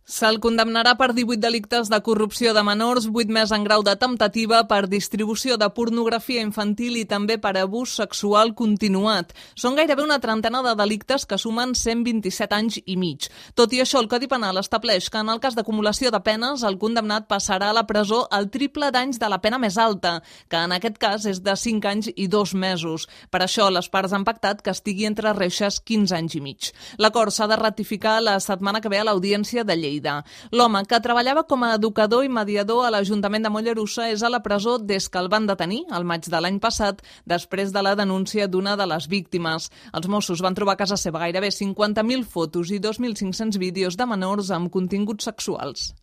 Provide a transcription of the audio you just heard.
Se'l condemnarà per 18 delictes de corrupció de menors, 8 més en grau de temptativa, per distribució de pornografia infantil i també per abús sexual continuat. Són gairebé una trentena de delictes que sumen 127 anys i mig. Tot i això, el Codi Penal estableix que en el cas d'acumulació de penes, el condemnat passarà a la presó el triple d'anys de la pena més alta, que en aquest cas és de 5 anys i 2 mesos. Per això, les parts han pactat que estigui entre reixes 15 anys i mig. L'acord s'ha de ratificar la setmana que ve a l'Audiència de Lleida. L'home, que treballava com a educador i mediador a l'Ajuntament de Mollerussa, és a la presó des que el van detenir, al maig de l'any passat, després de la denúncia d'una de les víctimes. Els Mossos van trobar a casa seva gairebé 50.000 fotos i 2.500 vídeos de menors amb continguts sexuals.